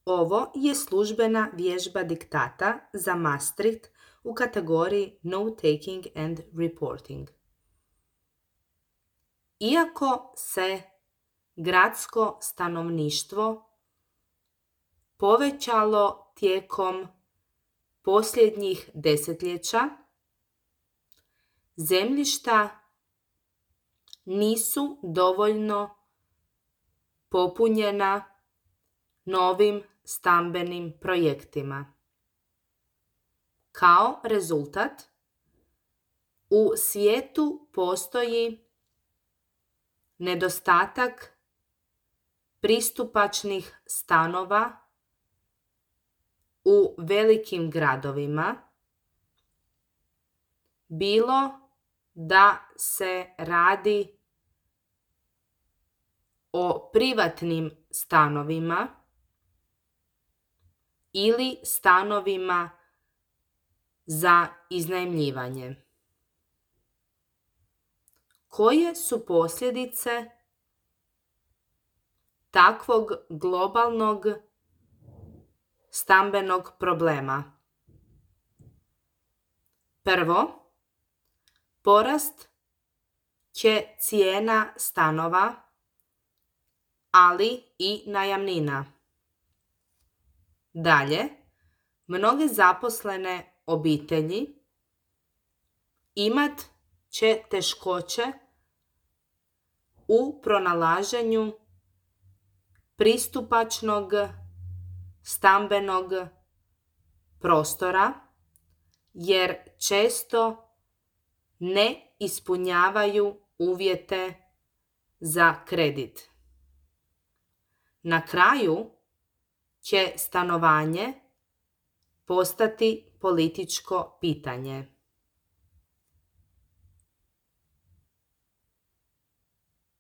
Ovo je službena vježba diktata za Maastricht u kategoriji Note-taking and Reporting. Iako se gradsko stanovništvo povećalo tijekom posljednjih desetljeća, zemljišta nisu dovoljno popunjena novim stambenim projektima. Kao rezultat, u svijetu postoji nedostatak pristupačnih stanova u velikim gradovima, bilo da se radi o privatnim stanovima ili stanovima za iznajmljivanje. Koje su posljedice takvog globalnog stambenog problema? Prvo, porast će cijena stanova, ali i najamnina. Dalje, mnoge zaposlene obitelji imat će teškoće u pronalaženju pristupačnog stambenog prostora, jer često ne ispunjavaju uvjete za kredit. Na kraju će stanovanje postati političko pitanje.